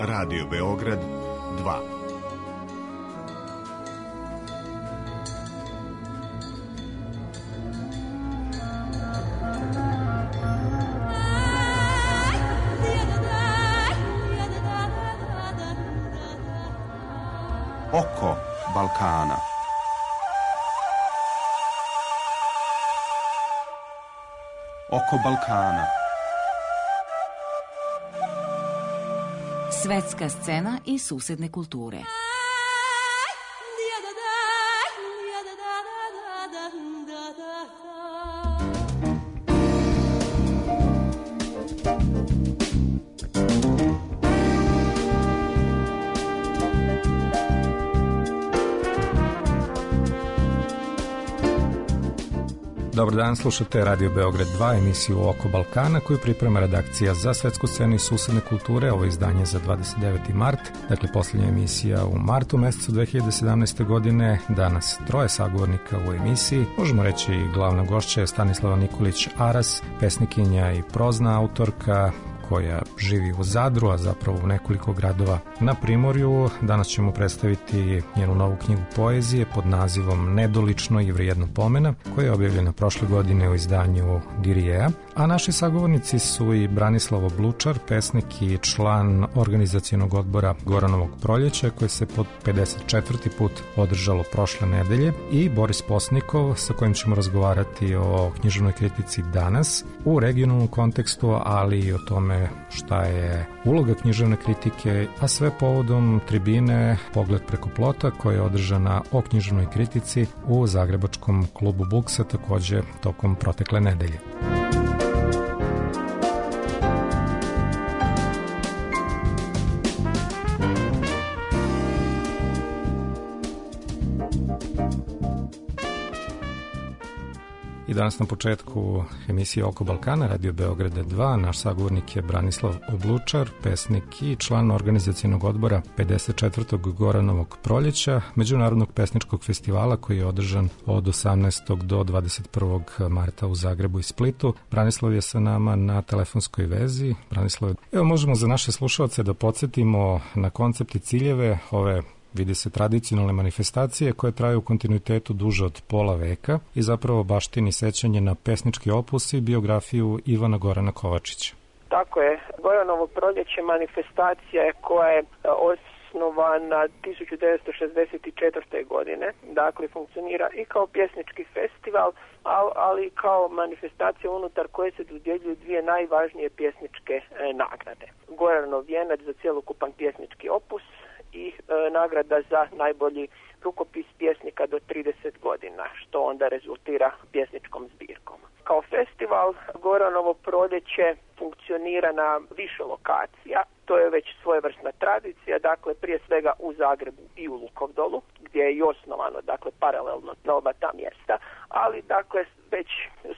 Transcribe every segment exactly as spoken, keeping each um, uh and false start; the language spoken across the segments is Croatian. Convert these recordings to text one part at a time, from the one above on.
Radio Beograd dva. Oko Balkana. Oko Balkana. Svetska scena i susedne kulture. Dobar dan, slušate Radio Beograd dva, emisiju Oko Balkana koju priprema redakcija za svetsku scenu i susedne kulture. Ovo je izdanje za dvadeset deveti mart, dakle posljednja emisija u martu mesecu dve hiljade sedamnaeste. godine. Danas troje sagovornika u emisiji. Možemo reći glavna gošća je Stanislava Nikolić Aras, pesnikinja i prozna autorka koja živi u Zadru, a zapravo u nekoliko gradova na Primorju. Danas ćemo predstaviti njenu novu knjigu poezije pod nazivom Nedolično i vrijedno pomena, koja je objavljena prošle godine u izdanju Dirijeja. A naši sagovornici su i Branislav Oblučar, pesnik i član organizacionog odbora Goranovog proljeća, koje se pod pedeset četvrti put održalo prošle nedelje, i Boris Posnikov, sa kojim ćemo razgovarati o književnoj kritici danas u regionalnom kontekstu, ali i o tome šta je uloga književne kritike, a sve povodom tribine Pogled preko plota koja je održana o književnoj kritici u zagrebačkom klubu Buksa takođe tokom protekle nedelje. I danas na početku emisije Oko Balkana, Radio Beograda dva, naš sagovornik je Branislav Oblučar, pesnik i član organizacionog odbora pedeset četvrtog Goranovog proljeća, međunarodnog pesničkog festivala koji je održan od osamnaestog do dvadeset prvog marta u Zagrebu i Splitu. Branislav je sa nama na telefonskoj vezi. Branislav, evo možemo za naše slušalce da podsjetimo na koncept i ciljeve ove, vidi se, tradicionalne manifestacije koje traju u kontinuitetu duže od pola veka i zapravo baštini sećanje na pesnički opus i biografiju Ivana Gorana Kovačića. Tako je. Goranovo proljeće manifestacija je koja je osnovana tisuću devetsto šezdeset četvrte. godine. Dakle, funkcionira i kao pjesnički festival, ali i kao manifestacija unutar koje se dodjeljuju dvije najvažnije pjesničke nagrade. Goranov vijenac za cjelokupan pjesnički opus i e, nagrada za najbolji rukopis pjesnika do trideset godina, što onda rezultira pjesničkom zbirkom. Kao festival Goranovo proljeće funkcionira na više lokacija. To je već svojevrsna tradicija, dakle prije svega u Zagrebu i u Lukovdolu, gdje je i osnovano, dakle paralelno na oba ta mjesta, ali dakle već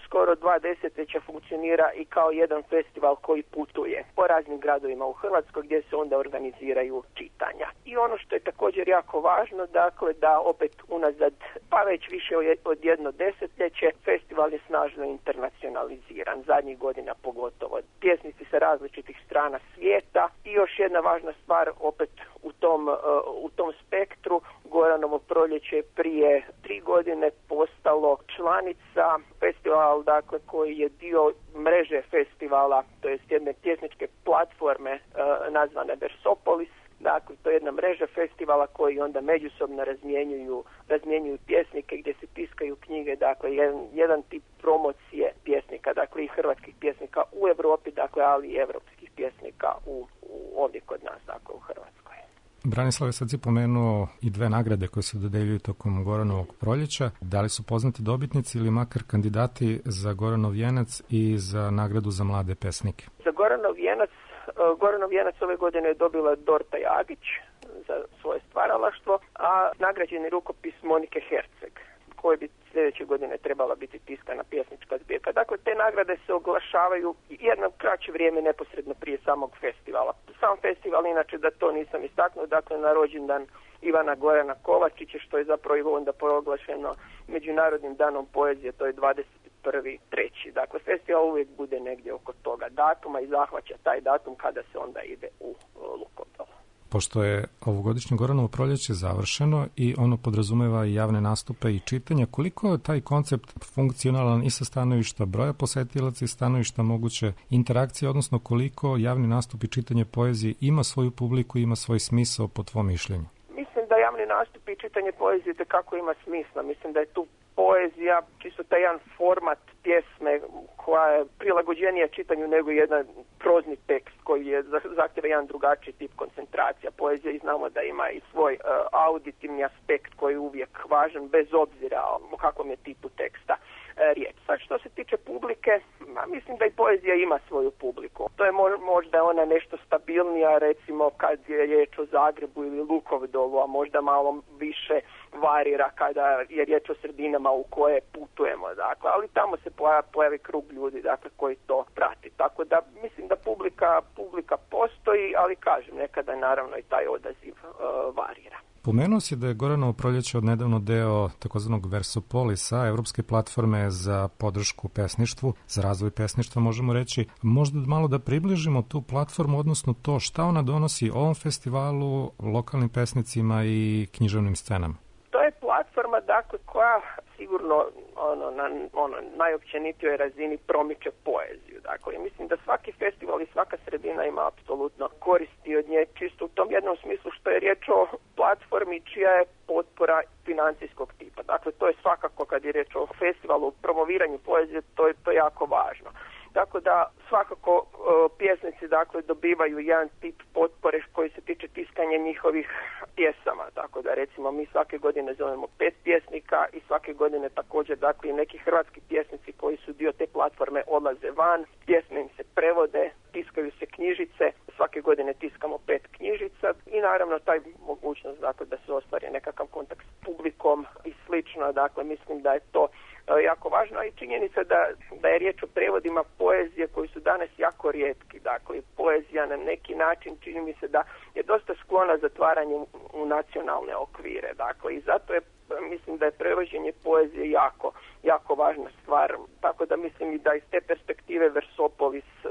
skoro dva desetljeća funkcionira i kao jedan festival koji putuje po raznim gradovima u Hrvatskoj gdje se onda organiziraju čitanja. I ono što je također jako važno, dakle da opet unazad pa već više od jedno desetljeće festival je snažno internacionaliziran, zadnjih godina pogotovo. Pjesnici sa različitih strana svijeta i još jedna važna stvar opet u tom, uh, u tom spektru, Goranovo proljeće prije tri godine postalo članica festival, dakle koji je dio mreže festivala, to jest jedne pjesničke platforme uh, nazvane Versopolis. Dakle, to je jedna mreža festivala koji onda međusobno razmjenjuju, razmjenjuju pjesnike gdje se tiskaju knjige, dakle jedan, jedan tip promocije pjesnika, dakle i hrvatskih pjesnika u Europi, dakle ali i evropskih pjesnika u, u ovdje kod nas, dakle u Hrvatskoj. Branislav je sad si pomenuo i dve nagrade koje se dodeljuju tokom Goranovog proljeća. Da li su poznati dobitnici ili makar kandidati za Goranov vijenac i za nagradu za mlade pesnike? Za Goranov vijenac Goranov vijenac ove godine je dobila Dorta Jagić za svoje stvaralaštvo, a nagrađeni rukopis Monike Herceg, koji bi sljedeće godine trebala biti tiskana pjesnička zbirka. Dakle, te nagrade se oglašavaju jedno kraće vrijeme neposredno prije samog festivala. Sam festival, inače da to nisam istaknuo, dakle na rođendan Ivana Gorana Kovačića, što je zapravo onda proglašeno Međunarodnim danom poezije, to je dvadeset prvi treći Dakle, festival uvijek bude negdje oko toga datuma i zahvaća taj datum kada se onda ide u Lukovdol. Pošto je ovogodišnje Goranovo proljeće završeno i ono podrazumeva i javne nastupe i čitanja, koliko je taj koncept funkcionalan i sa stanovišta broja posetilaca i stanovišta moguće interakcije, odnosno koliko javni nastup i čitanje poezije ima svoju publiku, ima svoj smisao po tvom mišljenju? Mislim da javni nastup i čitanje poezije tekako ima smisla. Mislim da je tu poezija čisto taj jedan format pjesme koja je prilagođenija čitanju nego jedan prozni tekst koji je zahtjeva jedan drugačiji tip koncentracija. Poezija i znamo da ima i svoj uh, auditivni aspekt koji je uvijek važan bez obzira o kakvom je tipu teksta uh, riječ. Sad što se tiče publike, ma, mislim da i poezija ima svoju publiku. To je mo- možda ona nešto stabilnija, recimo kad je riječ o Zagrebu ili Lukovdolu, a možda malo više varira kada je riječ o sredinama u koje putujemo, dakle, ali tamo se pojavi, pojavi krug ljudi, dakle, koji to prati. Tako da mislim da publika, publika postoji, ali kažem, nekada naravno i taj odaziv uh, varira. Pomenuo si da je Goranovo proljeće odnedavno deo takozvanog Versopolisa, evropske platforme za podršku pesništvu, za razvoj pesništva, možemo reći. Možda malo da približimo tu platformu, odnosno to šta ona donosi ovom festivalu, lokalnim pesnicima i književnim scenama. To je platforma, dakle, koja sigurno ono, na ono, najopćenitijoj razini promiče poeziju. Dakle, mislim da svaki festival i svaka sredina ima apsolutno koristi od nje, čisto u tom jednom smislu što je riječ o platformi čija je potpora financijskog tipa. Dakle, to je svakako kad je riječ o festivalu, promoviranju poezije, to je, to je jako važno. Tako da svakako uh, pjesnici dakle dobivaju jedan tip potpore koji se tiče tiskanja njihovih pjesama. Tako da recimo mi svake godine zovemo pet pjesnika i svake godine također dakle neki hrvatski pjesnici koji su dio te platforme odlaze van, pjesme im se prevode, tiskaju se knjižice, svake godine tiskamo pet knjižica i naravno taj mogućnost dakle da se ostvari nekakav kontakt s publikom i slično. Dakle mislim da je to jako važno, a i činjenica da, da je riječ o prevodima poezije koji su danas jako rijetki. Dakle, poezija na neki način čini mi se da je dosta sklona zatvaranju u nacionalne okvire. Dakle, i zato je, mislim da je prevođenje poezije jako, jako važna stvar. Tako da mislim i da iz te perspektive Versopolis uh,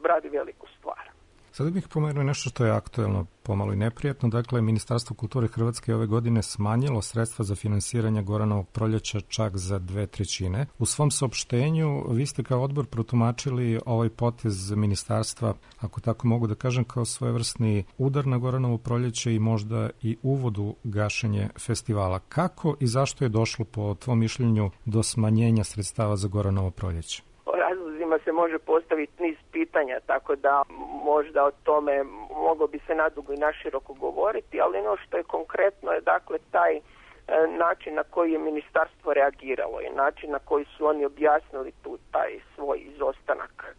radi veliku stvar. Sada bih pomenuo nešto što je aktuelno, pomalo i neprijatno. Dakle, Ministarstvo kulture Hrvatske ove godine smanjilo sredstva za finansiranje Goranovog proljeća čak za dve trećine. U svom saopštenju vi ste kao odbor protumačili ovaj potez ministarstva, ako tako mogu da kažem, kao svojevrsni udar na Goranovo proljeće i možda i uvod u gašenje festivala. Kako i zašto je došlo po tvom mišljenju do smanjenja sredstava za Goranovo proljeće? Razlozima se može postaviti niz pitanja, tako da možda o tome moglo bi se nadugo i naširoko govoriti, ali ono što je konkretno je dakle taj e, način na koji je ministarstvo reagiralo i način na koji su oni objasnili tu taj svoj izostanak.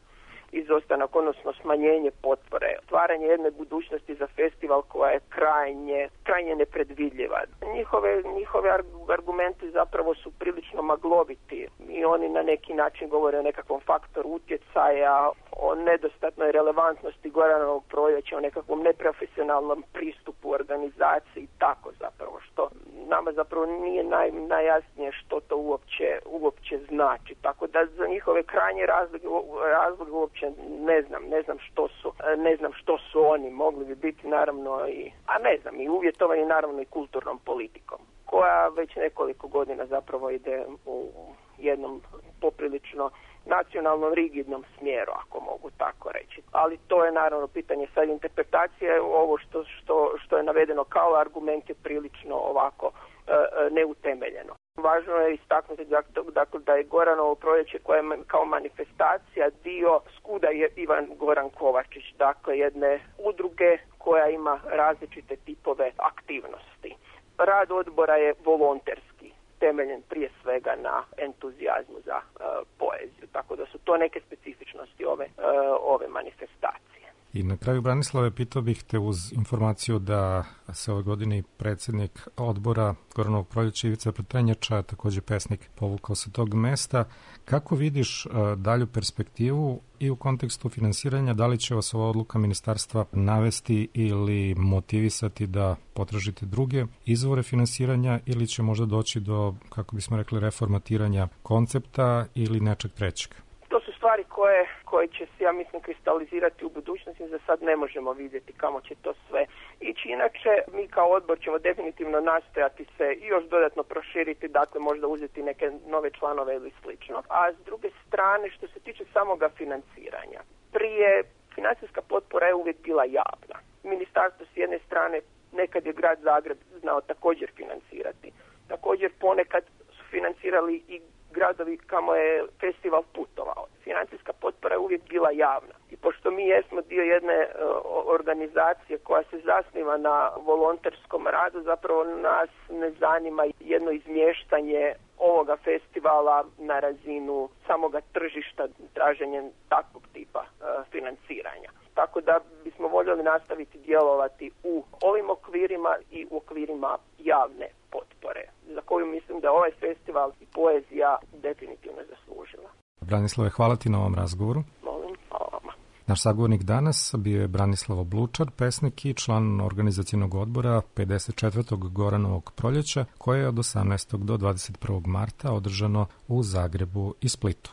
izostanak, odnosno smanjenje potpore, otvaranje jedne budućnosti za festival koja je krajnje, krajnje nepredvidljiva. Njihove, njihove argumenti zapravo su prilično magloviti i oni na neki način govore o nekakvom faktoru utjecaja, o nedostatnoj relevantnosti Goranovog proljeća, o nekakvom neprofesionalnom pristupu organizaciji i tako zapravo, što nama zapravo nije naj, najjasnije što to uopće, uopće znači. Tako da za njihove krajnje razloge, razloge uopće ne znam, ne znam što su, ne znam što su oni, mogli bi biti naravno i, a ne znam, i uvjetovani naravno i kulturnom politikom, koja već nekoliko godina zapravo ide u jednom poprilično nacionalnom rigidnom smjeru, ako mogu tako reći. Ali to je naravno pitanje sad interpretacije, ovo što, što, što je navedeno kao argument je prilično ovako e, neutemeljeno. Važno je istaknuti dakle, da je Goranovo proljeće koje je kao manifestacija dio Skuda je Ivan Goran Kovačić, dakle jedne udruge koja ima različite tipove aktivnosti. Rad odbora je volonterski, temeljen prije svega na entuzijazmu za uh, poeziju, tako da su to neke specifičnosti ove, uh, ove manifestacije. I na kraju, Branislave, pitao bih te uz informaciju da se ove godine i predsjednik odbora Goranovog proljeća Ivica Petrenjača, također pesnik, povukao sa tog mesta. Kako vidiš uh, dalju perspektivu i u kontekstu finansiranja, da li će vas ova odluka ministarstva navesti ili motivisati da potražite druge izvore finansiranja ili će možda doći do, kako bismo rekli, reformatiranja koncepta ili nečeg trećeg? To su stvari koje, koje će se, ja mislim, kristalizirati u budućnosti. Za sad ne možemo vidjeti kamo će to sve ići. Inače, mi kao odbor ćemo definitivno nastojati se i još dodatno proširiti, dakle možda uzeti neke nove članove ili slično. A s druge strane, što se tiče samoga financiranja, prije financijska potpora je uvijek bila javna. Ministarstvo s jedne strane, nekad je grad Zagreb znao također financirati. Također ponekad su financirali i gradovi kamo je festival putovao. Financijska potpora je uvijek bila javna. I pošto mi jesmo dio jedne uh, organizacije koja se zasniva na volonterskom radu, zapravo nas ne zanima jedno izmještanje ovoga festivala na razinu samoga tržišta traženjem takvog tipa uh, financiranja. Tako da bismo voljeli nastaviti djelovati u ovim okvirima i u okvirima javne potpore, za koju mislim da ovaj festival i poezija definitivno zaslužila. Branislave, hvala ti na ovom razgovoru. Molim, hvala vama. Naš sagovornik danas bio je Branislav Oblučar, pesnik i član organizacionog odbora pedeset četvrtog Goranovog proljeća, koje je od osamnaestog do dvadeset prvog marta održano u Zagrebu i Splitu.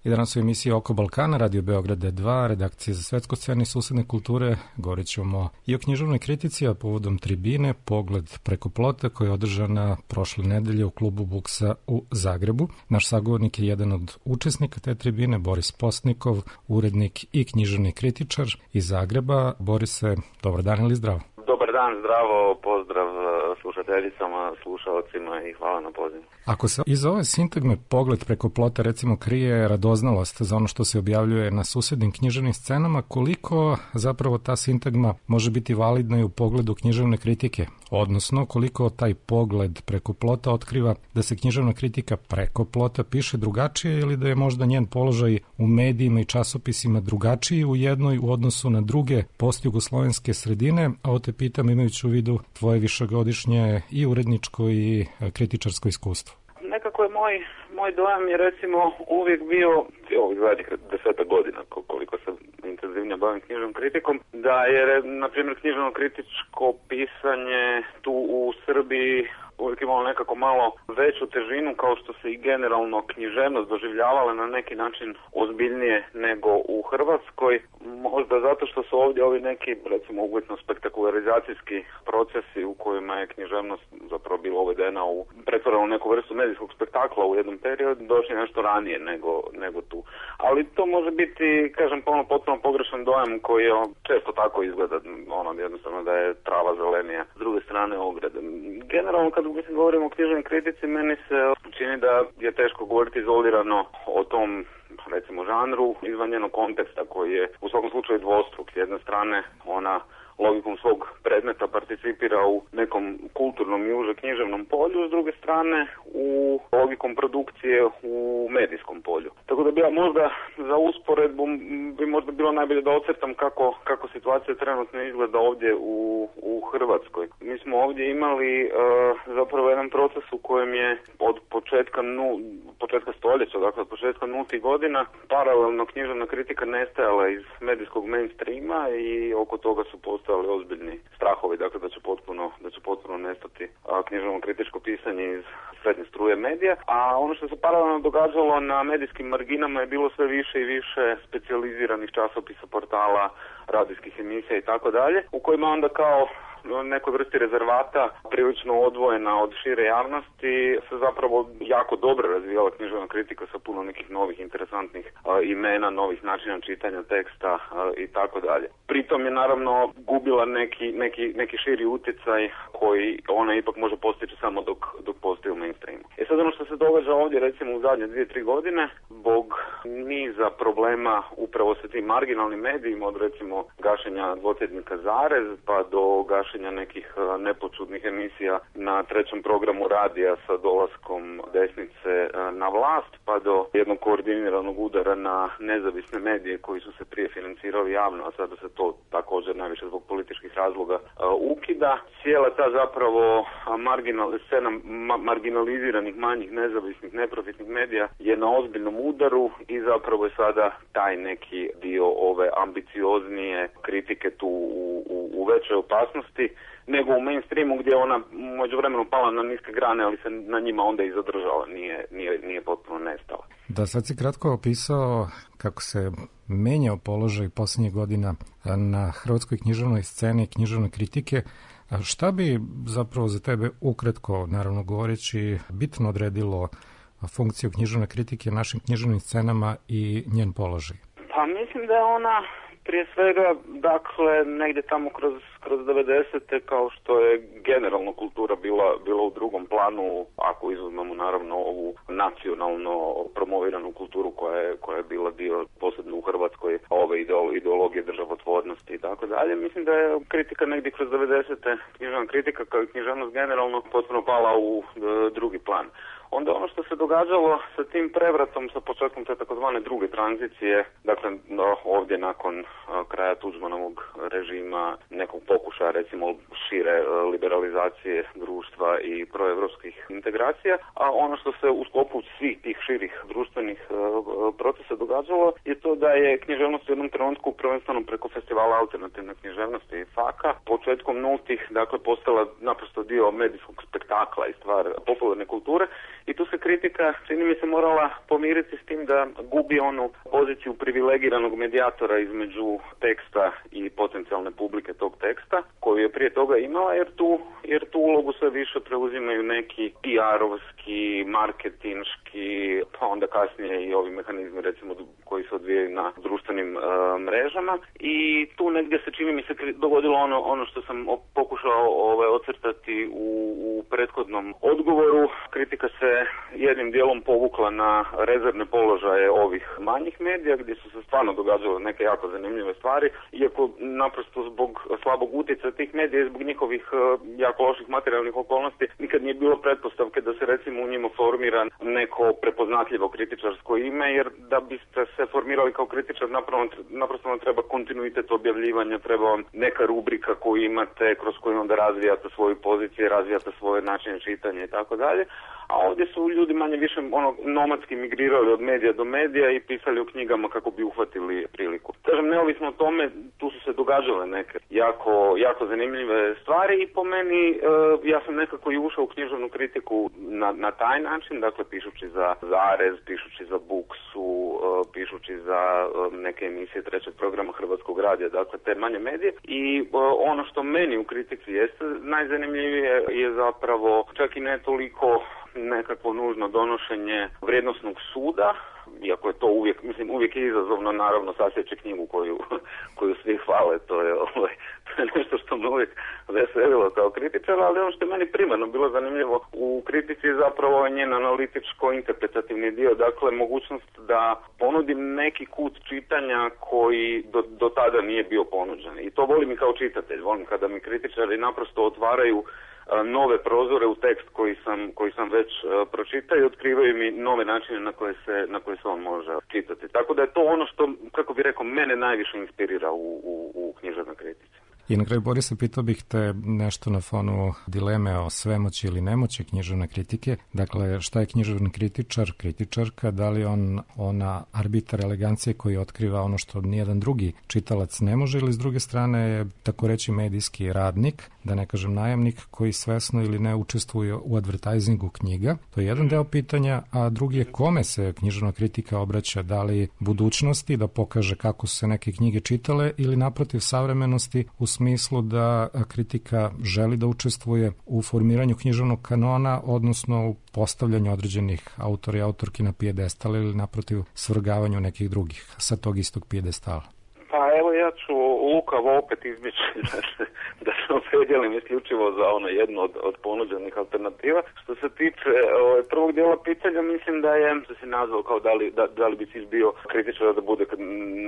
I danas u emisiji Oko Balkana, Radio Beograd dva, redakcija za svetsku scenu i susedne kulture, govorit ćemo i o književnoj kritici, a povodom tribine Pogled preko plota koja je održana prošle nedelje u klubu Buksa u Zagrebu. Naš sagovornik je jedan od učesnika te tribine, Boris Postnikov, urednik i književni kritičar iz Zagreba. Borise, dobar dan ili zdravo? Dobar dan, zdravo, pozdrav slušateljicama, slušalcima i hvala na pozivu. Ako se iz ove sintagme Pogled preko plota recimo krije radoznalost za ono što se objavljuje na susednim književnim scenama, koliko zapravo ta sintagma može biti validna i u pogledu književne kritike? Odnosno, koliko taj pogled preko plota otkriva da se književna kritika preko plota piše drugačije ili da je možda njen položaj u medijima i časopisima drugačiji u jednoj u odnosu na druge postjugoslovenske sredine, a ovo te pitam pitam imajući u vidu tvoje višegodišnje i uredničko i kritičarsko iskustvo. Nekako je moj, moj dojam je recimo uvijek bio, ovih zadnjih desetak godina koliko se intenzivnije bavim knjižnom kritikom, da je na primjer knjižno kritičko pisanje tu u Srbiji uvijek imalo nekako malo veću težinu, kao što se i generalno književnost doživljavala na neki način ozbiljnije nego u Hrvatskoj. Možda zato što su ovdje ovi neki, recimo, uvjetno spektakularizacijski procesi u kojima je književnost zapravo bila uvedena u pretvorena u neku vrstu medijskog spektakla u jednom periodu, došli nešto ranije nego, nego tu. Ali to može biti, kažem, ono potpuno pogrešan dojam koji je često tako izgleda, ono jednostavno da je trava zelenija s druge strane ograde. Generalno kad mislim govorimo o knjižnoj kritici, meni se čini da je teško govoriti izolirano o tom, recimo, žanru izvan njenog konteksta koji je u svakom slučaju dvostruk. S jedne strane ona logikom svog predmeta participira u nekom kulturnom i uže književnom polju, s druge strane u logikom produkcije u medijskom polju. Tako da bi ja možda za usporedbu bi možda bilo najbolje da ocrtam kako, kako situacija trenutno izgleda ovdje u, u Hrvatskoj. Mi smo ovdje imali uh, zapravo jedan proces u kojem je od početka, nu, početka stoljeća, dakle od početka nultih godina, paralelno književna kritika nestajala iz medijskog mainstreama i oko toga su postojali ozbiljni strahovi, dakle da će potpuno, da će potpuno nestati a, književno kritičko pisanje iz srednje struje medija, a ono što se paralelno događalo na medijskim marginama je bilo sve više i više specijaliziranih časopisa, portala, radijskih emisija i tako dalje, u kojima onda kao nekoj vrsti rezervata prilično odvojena od šire javnosti se zapravo jako dobro razvijala književna kritika sa puno nekih novih interesantnih a, imena, novih načina čitanja teksta a, i tako dalje. Pritom je naravno gubila neki, neki, neki širi utjecaj koji ona ipak može postići samo dok, dok postoji u mainstreamu. E sad ono što se događa ovdje recimo u zadnje dvije, tri godine, zbog niza problema upravo sa tim marginalnim medijima, od recimo gašenja dvotjednika Zarez pa do gašenja nekih nepočudnih emisija na trećem programu radija sa dolaskom desnice na vlast, pa do jednog koordiniranog udara na nezavisne medije koji su se prije financirali javno, a sada se to također najviše zbog političkih razloga ukida. Cijela ta zapravo marginal, scena ma, marginaliziranih manjih nezavisnih neprofitnih medija je na ozbiljnom udaru i zapravo je sada taj neki dio ove ambicioznije kritike tu u, u, u većoj opasnosti nego u mainstreamu gdje ona međuvremenu pala na niske grane, ali se na njima onda i zadržala, nije, nije, nije potpuno nestala. Da, sad si kratko opisao kako se menjao položaj posljednjih godina na hrvatskoj književnoj sceni i književnoj kritike. A šta bi zapravo za tebe ukratko, naravno govoreći, bitno odredilo funkciju književne kritike našim književnim scenama i njen položaj? Pa mislim da je ona prije svega, dakle, negdje tamo kroz, kroz devedesete, kao što je generalno kultura bila, bila u drugom planu, ako izuzmemo naravno ovu nacionalno promoviranu kulturu koja je, koja je bila dio, posebno u Hrvatskoj, ove ideologije državotvornosti i tako dalje. Mislim da je kritika negdje kroz devedesete, književna kritika kao i književnost generalno potpuno pala u e, drugi plan. Onda ono što se događalo sa tim prevratom, sa početkom te takozvane druge tranzicije, dakle no, ovdje nakon a, kraja Tuđmanovog režima, nekog pokušaja recimo šire a, liberalizacije društva i proevropskih integracija, a ono što se u sklopu svih tih širih društvenih a, procesa događalo je to da je književnost u jednom trenutku prvenstveno preko festivala alternativne književnosti i faka početkom nultih, dakle postala naprosto dio medijskog spektakla i stvar popularne kulture. I tu se kritika, čini mi se, morala pomiriti s tim da gubi onu poziciju privilegiranog medijatora između teksta i potencijalne publike tog teksta, koju je prije toga imala, jer tu, jer tu ulogu sve više preuzimaju neki P R-ovski, marketinški, pa onda kasnije i ovi mehanizmi, recimo, koji se odvijaju na društvenim uh, mrežama. I tu negdje se, čini mi se, dogodilo ono, ono što sam pokušao ovaj, ocrtati u, u prethodnom odgovoru. Kritika se jednim dijelom povukla na rezervne položaje ovih manjih medija gdje su se stvarno događale neke jako zanimljive stvari, iako naprosto zbog slabog utjecaja tih medija i zbog njihovih jako loših materijalnih okolnosti nikad nije bilo pretpostavke da se recimo u njima formira neko toliko prepoznatljivo kritičarsko ime, jer da biste se formirali kao kritičar naprosto vam treba kontinuitet objavljivanja, treba vam neka rubrika koju imate, kroz koju onda razvijate svoju poziciju, razvijate svoje načine čitanja i tako dalje. A ovdje su ljudi manje više ono, nomadski migrirali od medija do medija i pisali u knjigama kako bi uhvatili priliku. Kažem, neovisno o tome, tu su se događale neke jako, jako zanimljive stvari i po meni e, ja sam nekako i ušao u književnu kritiku na, na taj način, dakle pišući za Zarez, pišući za Buksu, e, pišući za e, neke emisije trećeg programa Hrvatskog radija, dakle te manje medije. I e, ono što meni u kritici jeste najzanimljivije je zapravo čak i ne toliko nekakvo nužno donošenje vrijednosnog suda, iako je to uvijek, mislim, uvijek je izazovno naravno sasjeći knjigu koju, koju svi hvale, to je, ovaj, to je nešto što me uvijek veselilo kao kritičar, ali ono što je meni primarno bilo zanimljivo u kritici je zapravo njen analitičko-interpretativni dio, dakle mogućnost da ponudim neki kut čitanja koji do, do tada nije bio ponuđen. I to volim i kao čitatelj, volim kada mi kritičari naprosto otvaraju nove prozore u tekst koji sam, koji sam već uh, pročitao i otkrivaju mi nove načine na koje se, na koje se on može čitati. Tako da je to ono što, kako bih rekao, mene najviše inspirira u, u, u književnoj kritici. I na kraju, Borise, pitao bih te nešto na fonu dileme o svemoći ili nemoći književne kritike. Dakle, šta je književni kritičar, kritičarka, da li on ona arbitar elegancije koji otkriva ono što nijedan drugi čitalac ne može, ili s druge strane je, tako reći, medijski radnik, da ne kažem najamnik, koji svesno ili ne učestvuje u advertisingu knjiga. To je jedan deo pitanja, a drugi je kome se književna kritika obraća, da li budućnosti, da pokaže kako su se neke knjige čitale, ili naprotiv savremenosti u smislu da kritika želi da učestvuje u formiranju književnog kanona, odnosno u postavljanju određenih autora i autorki na pijedestal ili naprotiv svrgavanju nekih drugih sa tog istog pijedestala. Pa evo ja ću lukavo opet izbjeći da se, da se opredjelim isključivo za ono jedno od, od ponuđenih alternativa. Što se tiče ovaj, prvog dijela pitanja, mislim da je, što se nazvao kao da li, da, da li bi cilj bio kritičar da bude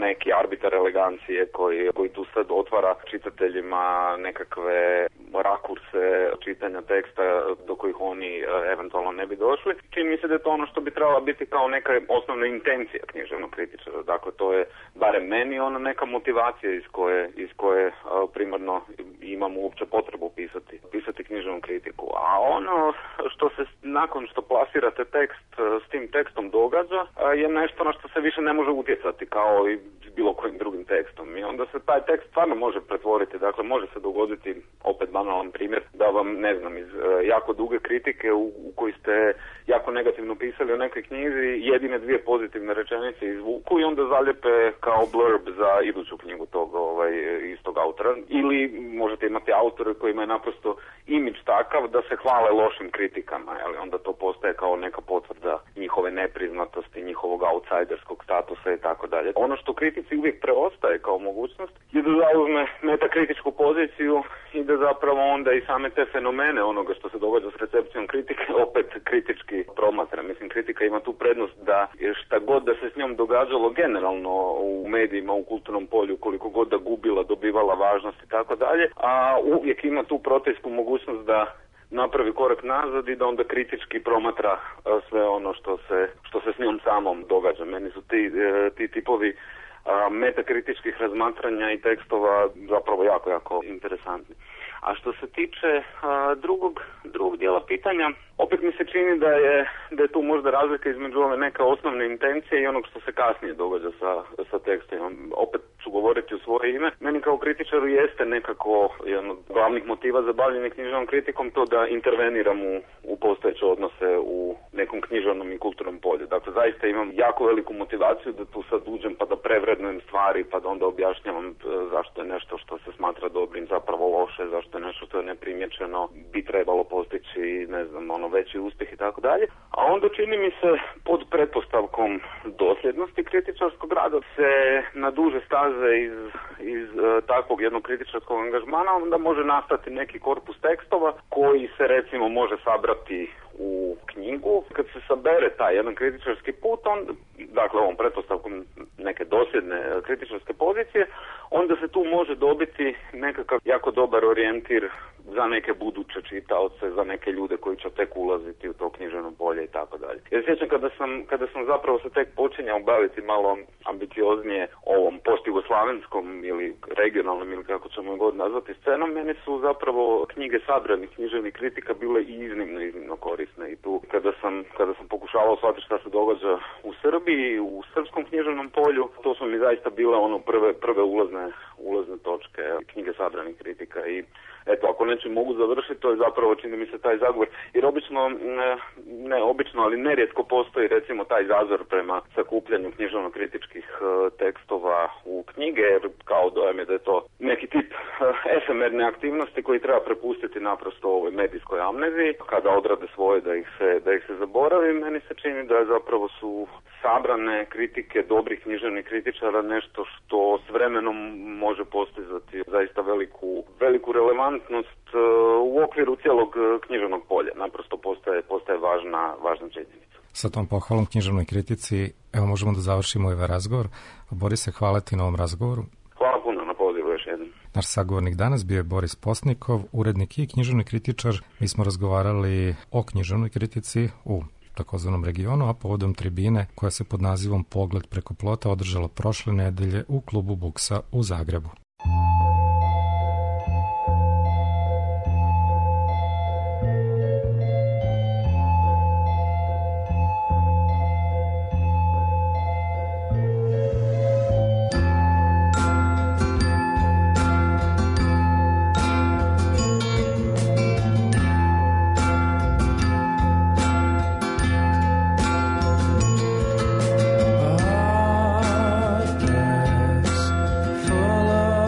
neki arbitar elegancije koji, koji tu sad otvara čitateljima nekakve rakurse čitanja teksta do kojih oni eventualno ne bi došli. Čini mi se da je to ono što bi trebala biti kao neka osnovna intencija književnog kritičara. Dakle, to je barem meni ono neka motivacija iz koje, iz koje uh, primarno imamo uopće potrebu pisati, pisati književnu kritiku. A ono što se nakon što plasirate tekst uh, s tim tekstom događa uh, je nešto na što se više ne može utjecati kao i s bilo kojim drugim tekstom. I onda se taj tekst stvarno može pretvoriti. Dakle, može se dogoditi, opet banalan primjer, da vam, ne znam, iz uh, jako duge kritike u, u koji ste jako negativno pisali o nekoj knjizi, jedine dvije pozitivne rečenice izvuku i onda zaljepe kao blurb za iduću knjigu tog ovaj, istog autora. Ili možete imati autore kojima je naprosto imidž takav da se hvale lošim kritikama, ali onda to postaje kao neka potvrda njihove nepriznatosti, njihovog outsiderskog statusa i tako dalje. Ono što kritici uvijek preostaje kao mogućnost je da zauzme metakritičku poziciju i da zapravo onda i same te fenomene onoga što se događa s recepcijom kritike opet kritički promatra. Mislim, kritika ima tu prednost da šta god da se s njom događalo generalno u medijima, u kulturnom polju, koliko god da gubila, dobivala važnost i tako dalje, a uvijek ima tu protejsku mogućnost da napravi korak nazad i da onda kritički promatra sve ono što se, što se s njom samom događa. Meni su ti, ti tipovi metakritičkih razmatranja i tekstova zapravo jako, jako interesantni. A što se tiče a, drugog, drugog dijela pitanja, opet mi se čini da je, da je tu možda razlika između ove neke osnovne intencije i onog što se kasnije događa sa, sa tekstom. Opet ću govoriti u svoje ime. Meni kao kritičaru jeste nekako jedan od glavnih motiva za bavljenje književnom kritikom to da interveniram u, u postojeće odnose u nekom književnom i kulturnom polju. Dakle, zaista imam jako veliku motivaciju da tu sad uđem pa da prevrednujem stvari, pa da onda objašnjavam zašto je nešto što se smatra dobrim zapravo loše, zašto je nešto što je neprimjećeno bi trebalo postići, ne znam, ono veći uspjeh i tako dalje. A onda čini mi se pod pretpostavkom dosljednosti kritičarskog rada se na duže staze iz, iz uh, takvog jednog kritičarskog angažmana onda može nastati neki korpus tekstova koji se recimo može sabrati u knjigu. Kad se sabere taj jedan kritičarski put, on, dakle ovom pretpostavkom neke dosljedne kritičarske pozicije, onda se tu može dobiti nekakav jako dobar orijentir za neke buduće čitaoce, za neke ljude koji će tek ulaziti u to književno polje i tako dalje. Ja sjećam kada sam, kada sam zapravo se tek počinjao baviti malo ambicioznije ovom post-jugoslavenskom ili regionalnom ili kako ćemo god nazvati scenom, meni su zapravo knjige sabranih književnih kritika bile i iznimno, iznimno korisne. I tu kada sam, kada sam pokušavao shvatiti šta se događa u Srbiji, u srpskom književnom polju, to su mi zaista bile ono prve, prve ulazne, ulazne točke knjige sabranih kritika. I eto, ako neću mogu završiti, to je zapravo, čini mi se, taj zagovor. Jer obično, ne, ne obično, ali nerijetko postoji recimo taj zazor prema sakupljanju književno-kritičkih uh, tekstova u knjige, jer kao dojam je da je to neki tip uh, efemerne aktivnosti koji treba prepustiti naprosto ovoj medijskoj amneziji. Kada odrade svoje da ih se, da ih se zaboravi, meni se čini da zapravo su sabrane kritike dobrih književnih kritičara nešto što s vremenom može postizati zaista veliku, veliku relevantnost uh, u okviru cijelog književnog polja. Naprosto postaje, postaje važna, važna činjenica. Sa tom pohvalom književnoj kritici, evo možemo da završimo ovaj razgovor. Borise, hvala ti na ovom razgovoru. Hvala puno na pozivu još jednom. Naš sagovornik danas bio je Boris Postnikov, urednik i književni kritičar. Mi smo razgovarali o književnoj kritici u takozvanom regionu, a povodom tribine koja se pod nazivom Pogled preko plota održala prošle nedelje u klubu Buksa u Zagrebu. Full of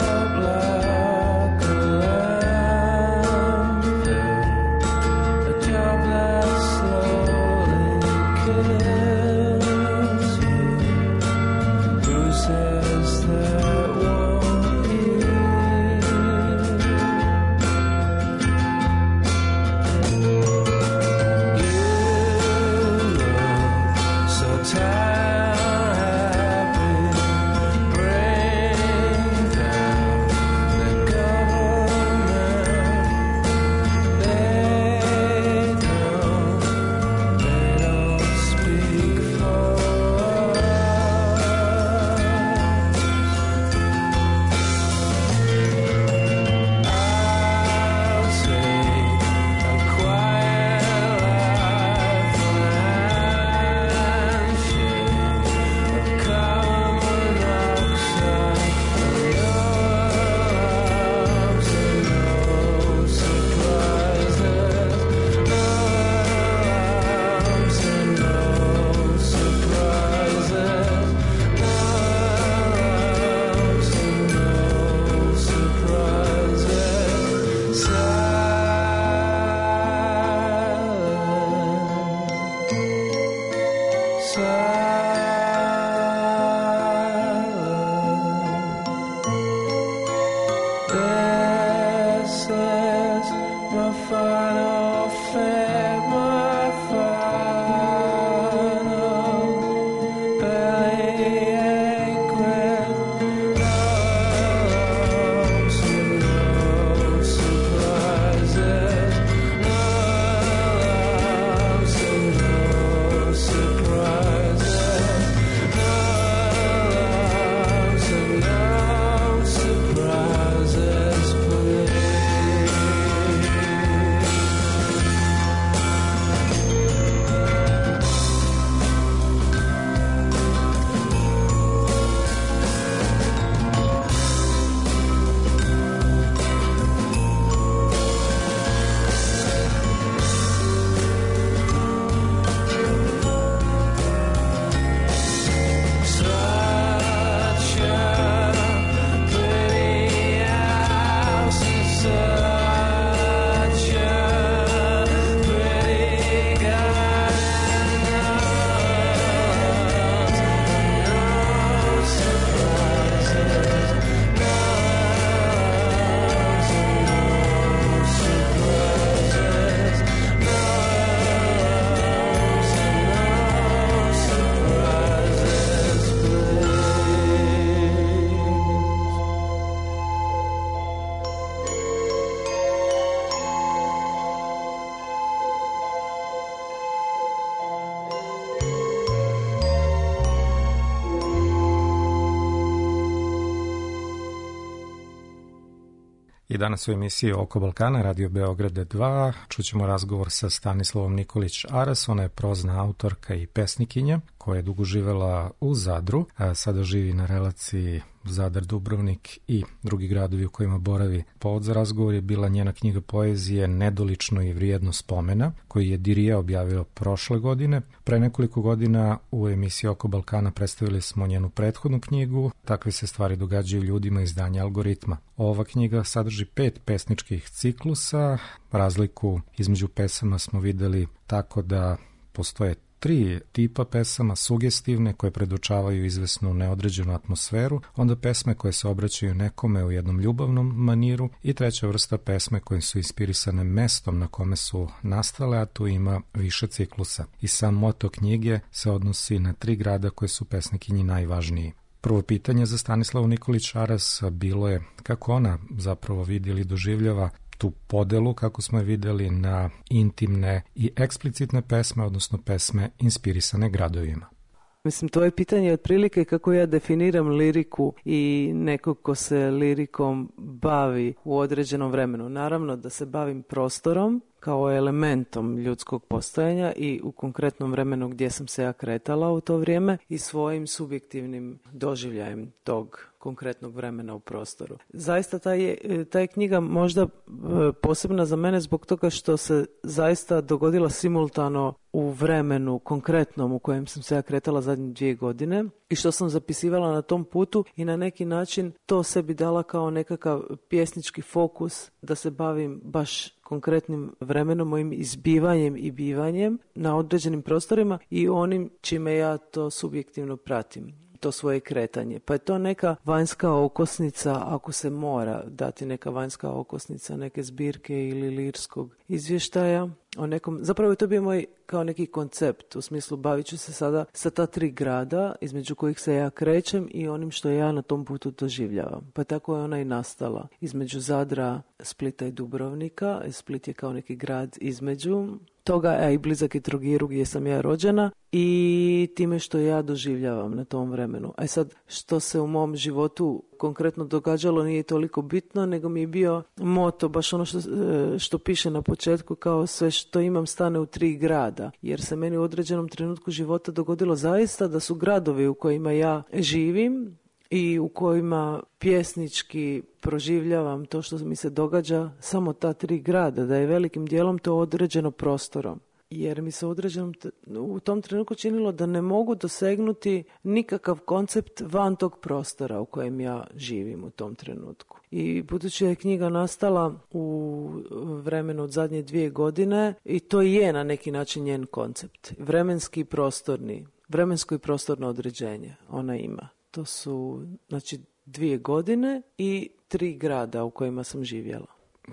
danas u emisiji Oko Balkana, Radio Beograd dva. Čućemo razgovor sa Stanislavom Nikolić Aras, ona je prozna autorka i pesnikinja koja je dugo živela u Zadru, a sada živi na relaciji Zadar, Dubrovnik i drugi gradovi u kojima boravi. Povod za razgovor je bila njena knjiga poezije Nedolično i vrijedno spomena, koju je Dirija objavio prošle godine. Pre nekoliko godina u emisiji Oko Balkana predstavili smo njenu prethodnu knjigu Takve se stvari događaju ljudima, izdanja Algoritma. Ova knjiga sadrži pet pesničkih ciklusa. Razliku između pesama smo videli tako da postoje tri tipa pesama, sugestivne koje predočavaju izvesnu neodređenu atmosferu, onda pesme koje se obraćaju nekome u jednom ljubavnom maniru i treća vrsta pesme koje su inspirisane mestom na kome su nastale, a tu ima više ciklusa. I sam moto knjige se odnosi na tri grada koje su pesnikinji najvažniji. Prvo pitanje za Stanislavu Nikolić Aras bilo je kako ona zapravo vidi ili doživljava tu podelu, kako smo je videli, na intimne i eksplicitne pesme, odnosno pesme inspirisane gradovima. Mislim, to je pitanje otprilike kako ja definiram liriku i nekog ko se lirikom bavi u određenom vremenu. Naravno da se bavim prostorom kao elementom ljudskog postojanja i u konkretnom vremenu gdje sam se ja kretala u to vrijeme i svojim subjektivnim doživljajem tog konkretnog vremena u prostoru. Zaista ta je, ta je knjiga možda posebna za mene zbog toga što se zaista dogodila simultano u vremenu konkretnom u kojem sam se ja kretala zadnje dvije godine i što sam zapisivala na tom putu i na neki način to sebi dala kao nekakav pjesnički fokus da se bavim baš konkretnim vremenom, mojim izbivanjem i bivanjem na određenim prostorima i onim čime ja to subjektivno pratim, to svoje kretanje. Pa je to neka vanjska okosnica, ako se mora dati neka vanjska okosnica, neke zbirke ili lirskog izvještaja o nekom, zapravo je to bio moj kao neki koncept, u smislu bavit ću se sada sa ta tri grada između kojih se ja krećem i onim što ja na tom putu doživljavam. Pa tako je ona i nastala između Zadra, Splita i Dubrovnika. Split je kao neki grad između toga, a i blizak je Trogiru gdje sam ja rođena i time što ja doživljavam na tom vremenu. A sad, što se u mom životu konkretno događalo nije toliko bitno, nego mi je bio moto, baš ono što, što piše na početku, kao sve što imam stane u tri grada. Jer se meni u određenom trenutku života dogodilo zaista da su gradovi u kojima ja živim i u kojima pjesnički proživljavam to što mi se događa samo ta tri grada, da je velikim dijelom to određeno prostorom. Jer mi se određenom u tom trenutku činilo da ne mogu dosegnuti nikakav koncept van tog prostora u kojem ja živim u tom trenutku. I budući je knjiga nastala u vremenu od zadnje dvije godine i to je na neki način njen koncept. Vremenski i prostorni, vremensko i prostorno određenje ona ima. To su, znači, dvije godine i tri grada u kojima sam živjela.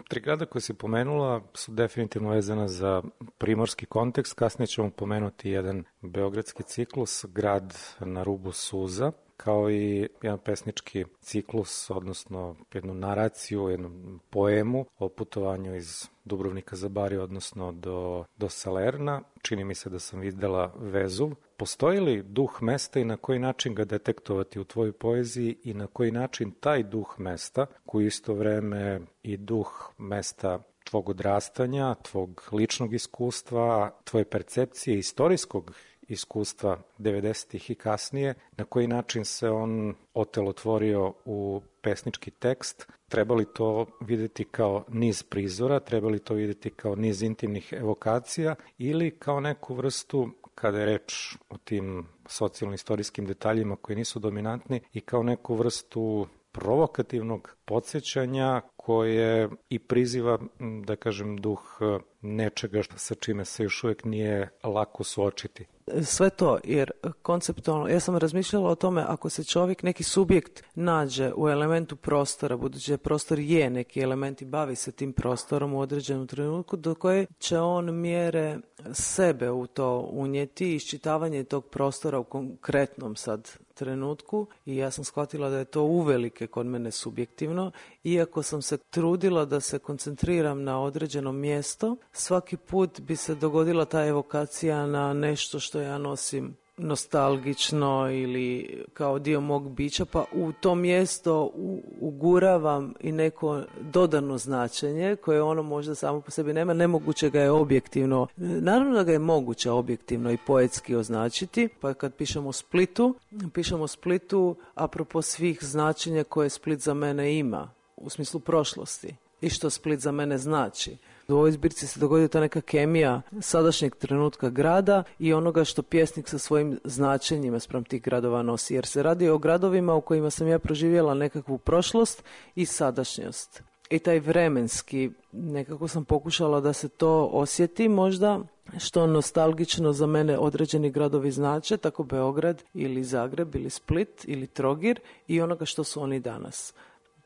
Tri grada koje si pomenula su definitivno vezana za primorski kontekst. Kasnije ćemo pomenuti jedan beogradski ciklus, grad na rubu suza, kao i jedan pesnički ciklus, odnosno jednu naraciju, jednu poemu o putovanju iz Dubrovnika za Bari, odnosno do, do Salerna. Čini mi se da sam videla Vezuv. Postoji li duh mesta i na koji način ga detektovati u tvojoj poeziji i na koji način taj duh mesta, koji isto vreme i duh mesta tvog odrastanja, tvog ličnog iskustva, tvoje percepcije istorijskog iskustva devedesetih i kasnije, na koji način se on otelotvorio u pesnički tekst, treba li to vidjeti kao niz prizora, treba li to vidjeti kao niz intimnih evokacija ili kao neku vrstu, kada je reč o tim socijalno-istorijskim detaljima koji nisu dominantni, i kao neku vrstu provokativnog podsjećanja koje i priziva, da kažem, duh nečega sa čime se još uvijek nije lako suočiti. Sve to, jer konceptualno, ja sam razmišljala o tome, ako se čovjek, neki subjekt nađe u elementu prostora, budući da prostor je neki element i bavi se tim prostorom u određenom trenutku, do koje će on mjere sebe u to unijeti, iščitavanje tog prostora u konkretnom sad trenutku, i ja sam shvatila da je to uvelike kod mene subjektivno, iako sam se trudila da se koncentriram na određeno mjesto, svaki put bi se dogodila ta evokacija na nešto što ja nosim nostalgično ili kao dio mog bića, pa u to mjesto uguravam i neko dodano značenje koje ono možda samo po sebi nema. Nemoguće ga je objektivno, naravno da ga je moguće objektivno i poetski označiti, pa kad pišemo o Splitu, pišemo o Splitu apropo svih značenja koje Split za mene ima, u smislu prošlosti i što Split za mene znači. U ovoj zbirci se dogodila ta neka kemija sadašnjeg trenutka grada i onoga što pjesnik sa svojim značenjima spram tih gradova nosi. Jer se radi o gradovima u kojima sam ja proživjela nekakvu prošlost i sadašnjost. I taj vremenski, nekako sam pokušala da se to osjeti možda, što nostalgično za mene određeni gradovi znače, tako Beograd ili Zagreb ili Split ili Trogir i onoga što su oni danas.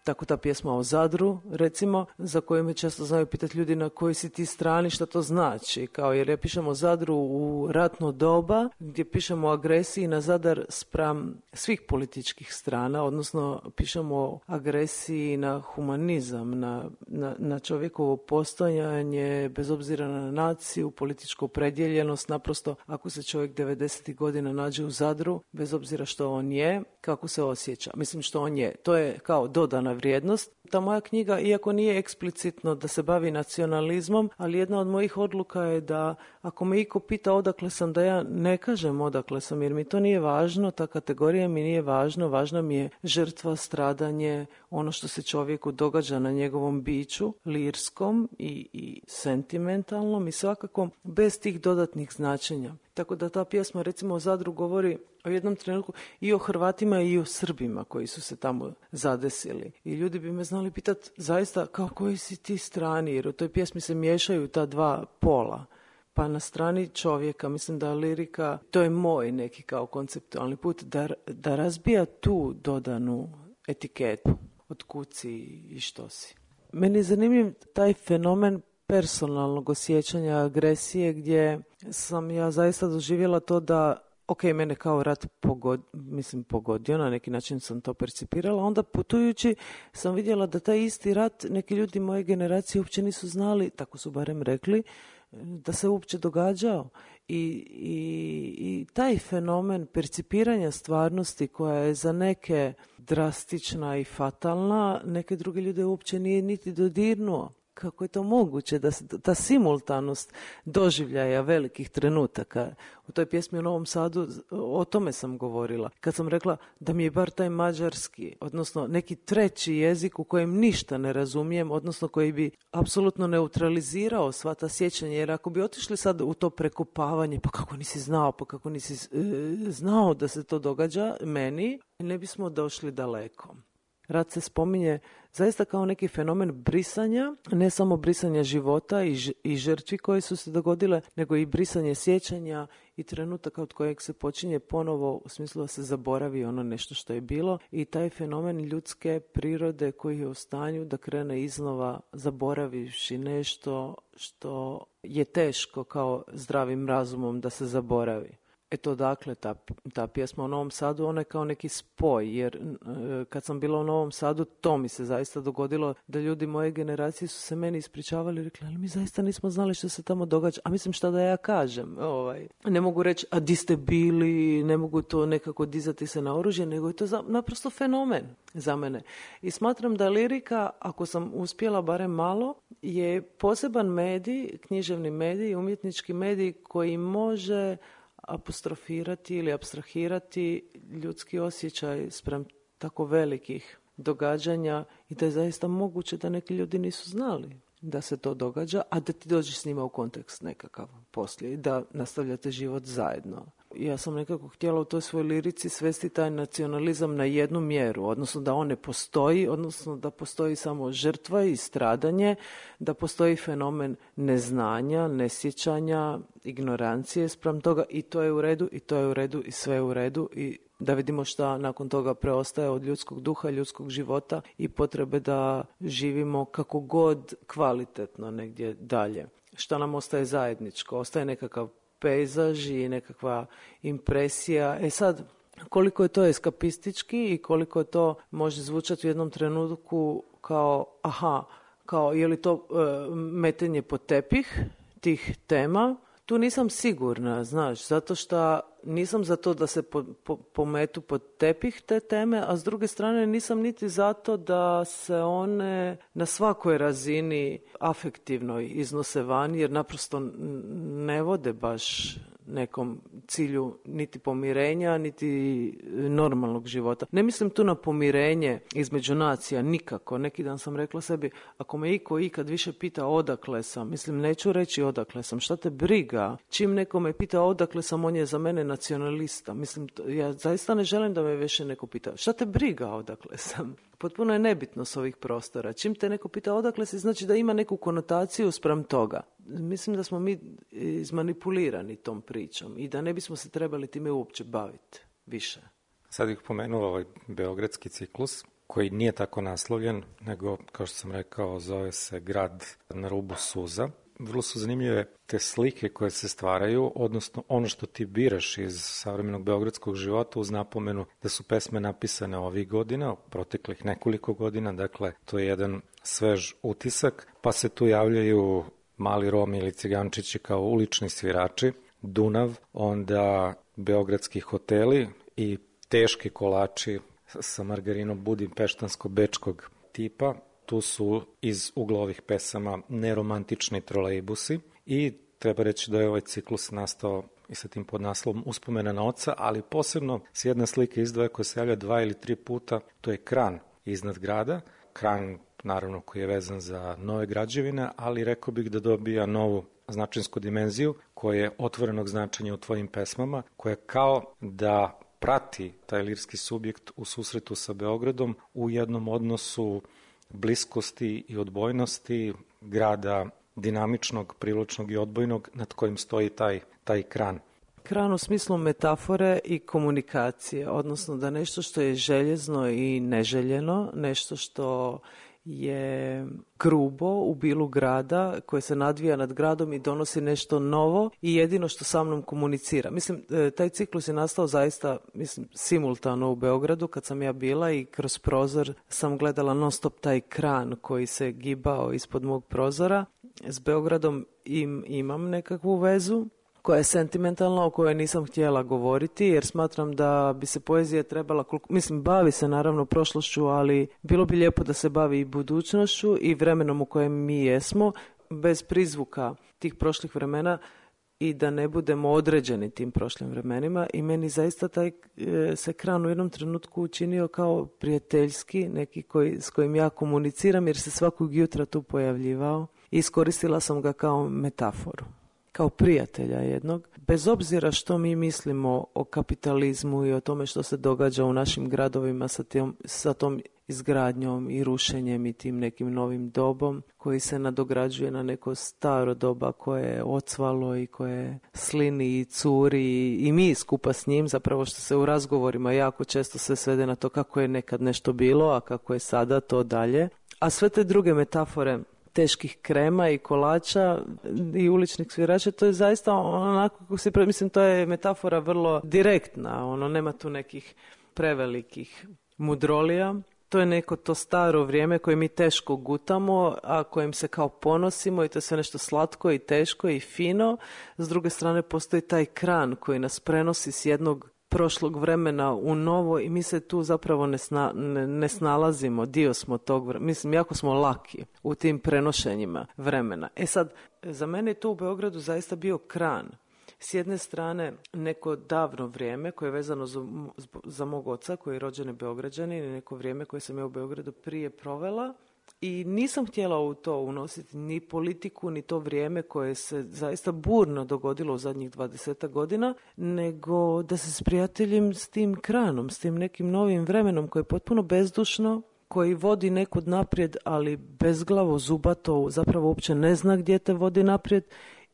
Tako ta pjesma o Zadru, recimo, za koju me često znaju pitati ljudi na kojoj si ti strani, šta to znači. Kao jer ja pišem o Zadru u ratno doba, gdje pišemo o agresiji na Zadar spram svih političkih strana, odnosno pišemo o agresiji na humanizam, na, na, na čovjekovo postojanje, bez obzira na naciju, političku opredjeljenost. Naprosto, ako se čovjek devedesetih godina nađe u Zadru, bez obzira što on je, kako se osjeća. Mislim što on je. To je kao dodana vrijednost. Ta moja knjiga, iako nije eksplicitno da se bavi nacionalizmom, ali jedna od mojih odluka je da ako me iko pita odakle sam, da ja ne kažem odakle sam, jer mi to nije važno, ta kategorija mi nije važno, važna mi je žrtva, stradanje, ono što se čovjeku događa na njegovom biću, lirskom i, i sentimentalnom i svakako bez tih dodatnih značenja. Tako da ta pjesma recimo o Zadru govori o jednom trenutku i o Hrvatima i o Srbima koji su se tamo zadesili. I ljudi bi me znali pitati zaista kao koji si ti strani, jer u toj pjesmi se miješaju ta dva pola. Pa na strani čovjeka, mislim da lirika, to je moj neki kao konceptualni put, da, da razbija tu dodanu etiketu od kud si i što si. Meni je zanimljiv taj fenomen personalnog osjećanja agresije gdje sam ja zaista doživjela to da, ok, mene kao rat pogod, mislim, pogodio, na neki način sam to percipirala, onda putujući sam vidjela da taj isti rat neki ljudi moje generacije uopće nisu znali, tako su barem rekli, da se uopće događao. I, i, i taj fenomen percipiranja stvarnosti koja je za neke drastična i fatalna, neke druge ljude uopće nije niti dodirnuo. Kako je to moguće da se ta simultanost doživljaja velikih trenutaka. U toj pjesmi u Novom Sadu o tome sam govorila. Kad sam rekla da mi je bar taj mađarski, odnosno neki treći jezik u kojem ništa ne razumijem, odnosno koji bi apsolutno neutralizirao sva ta sjećanja, jer ako bi otišli sad u to prekopavanje, pa kako nisi znao, pa kako nisi e, znao da se to događa meni, ne bismo došli daleko. Rat se spominje zaista kao neki fenomen brisanja, ne samo brisanja života i, ž- i žrtvi koje su se dogodile, nego i brisanje sjećanja i trenutaka od kojeg se počinje ponovo, u smislu da se zaboravi ono nešto što je bilo, i taj fenomen ljudske prirode koji je u stanju da krene iznova zaboravivši nešto što je teško kao zdravim razumom da se zaboravi. Eto, dakle, ta, ta pjesma o Novom Sadu, ona je kao neki spoj, jer e, kad sam bila u Novom Sadu, to mi se zaista dogodilo, da ljudi moje generacije su se meni ispričavali i rekli, ali mi zaista nismo znali što se tamo događa, a mislim šta da ja kažem, ovaj. Ne mogu reći, a di ste bili, ne mogu to nekako dizati se na oružje, nego je to za, naprosto fenomen za mene. I smatram da lirika, ako sam uspjela barem malo, je poseban medij, književni medij, umjetnički medij koji može apostrofirati ili apstrahirati ljudski osjećaj spram tako velikih događanja i da je zaista moguće da neki ljudi nisu znali da se to događa, a da ti dođeš s njima u kontekst nekakav poslije i da nastavljate život zajedno. Ja sam nekako htjela u toj svojoj lirici svesti taj nacionalizam na jednu mjeru, odnosno da on ne postoji, odnosno da postoji samo žrtva i stradanje, da postoji fenomen neznanja, nesjećanja, ignorancije spram toga i to je u redu, i to je u redu, i sve je u redu, i da vidimo šta nakon toga preostaje od ljudskog duha, ljudskog života i potrebe da živimo kako god kvalitetno negdje dalje. Šta nam ostaje zajedničko? Ostaje nekakav pejzaž i nekakva impresija. E sad, koliko je to eskapistički i koliko je to može zvučati u jednom trenutku kao, aha, kao je li to e, metenje pod tepih tih tema, Tu nisam sigurna, znaš, zato što nisam za to da se po, po, pometu pod tepih te teme, a s druge strane nisam niti zato da se one na svakoj razini afektivnoj iznose van, jer naprosto ne vode baš nekom cilju niti pomirenja, niti normalnog života. Ne mislim tu na pomirenje između nacija, nikako. Neki dan sam rekla sebi, ako me iko ikad više pita odakle sam, mislim, neću reći odakle sam, šta te briga? Čim neko me pita odakle sam, on je za mene nacionalista. Mislim, ja zaista ne želim da me više neko pita, šta te briga odakle sam? Potpuno je nebitno s ovih prostora. Čim te neko pita odakle si, znači da ima neku konotaciju spram toga. Mislim da smo mi izmanipulirani tom pričom i da ne bismo se trebali time uopće baviti više. Sad bih pomenuo ovaj beogradski ciklus, koji nije tako naslovljen, nego, kao što sam rekao, zove se Grad na rubu suza. Vrlo su zanimljive te slike koje se stvaraju, odnosno ono što ti biraš iz savremenog beogradskog života, uz napomenu da su pesme napisane ovih godina, proteklih nekoliko godina, dakle to je jedan svež utisak, pa se tu javljaju Mali Romi ili Cigančići kao ulični svirači, Dunav, onda beogradski hoteli i teški kolači sa margarinom budimpeštansko-bečkog tipa. Tu su iz ugla ovih pesama neromantični trolejbusi i treba reći da je ovaj ciklus nastao i sa tim podnaslovom Uspomena na oca, ali posebno s jedna slika izdvaja koja se javlja dva ili tri puta, to je kran iznad grada, kran naravno koji je vezan za nove građevine, ali rekao bih da dobija novu značinsku dimenziju koja je otvorenog značenja u tvojim pesmama, koja kao da prati taj lirski subjekt u susretu sa Beogradom u jednom odnosu bliskosti i odbojnosti grada dinamičnog, privlačnog i odbojnog nad kojim stoji taj, taj kran. Kran u smislu metafore i komunikacije, odnosno da nešto što je željezno i neželjeno, nešto što je grubo u bilu grada koje se nadvija nad gradom i donosi nešto novo i jedino što sa mnom komunicira. Mislim, taj ciklus je nastao zaista, mislim, simultano u Beogradu kad sam ja bila i kroz prozor sam gledala non stop taj kran koji se gibao ispod mog prozora. S Beogradom im, imam nekakvu vezu koja je sentimentalna, o kojoj nisam htjela govoriti, jer smatram da bi se poezija trebala, mislim, bavi se naravno prošlošću, ali bilo bi lijepo da se bavi i budućnošću i vremenom u kojem mi jesmo, bez prizvuka tih prošlih vremena i da ne budemo određeni tim prošlim vremenima. I meni zaista taj e, se kran u jednom trenutku učinio kao prijateljski, neki koji, s kojim ja komuniciram, jer se svakog jutra tu pojavljivao i iskoristila sam ga kao metaforu, kao prijatelja jednog, bez obzira što mi mislimo o kapitalizmu i o tome što se događa u našim gradovima sa, tim, sa tom izgradnjom i rušenjem i tim nekim novim dobom koji se nadograđuje na neko staro doba koje je ocvalo i koje slini i curi i mi skupa s njim, zapravo što se u razgovorima jako često se svede na to kako je nekad nešto bilo, a kako je sada to dalje. A sve te druge metafore teških krema i kolača i uličnih svirača, to je zaista onako kako se, mislim, to je metafora vrlo direktna, ono, nema tu nekih prevelikih mudrolija. To je neko to staro vrijeme koje mi teško gutamo, a kojim se kao ponosimo i to je sve nešto slatko i teško i fino. S druge strane postoji taj kran koji nas prenosi s jednog prošlog vremena u novo i mi se tu zapravo ne, sna, ne, ne snalazimo, dio smo tog vremena. Mislim, jako smo laki u tim prenošenjima vremena. E sad, za mene je to u Beogradu zaista bio kran. S jedne strane neko davno vrijeme koje je vezano za, za mog oca koji je rođeni Beograđanin i neko vrijeme koje sam ja u Beogradu prije provela i nisam htjela u to unositi ni politiku ni to vrijeme koje se zaista burno dogodilo u zadnjih dvadesetak godina, nego da se sprijateljim s tim kranom, s tim nekim novim vremenom koje je potpuno bezdušno, koji vodi nekud naprijed, ali bezglavo, zubato, zapravo uopće ne zna gdje te vodi naprijed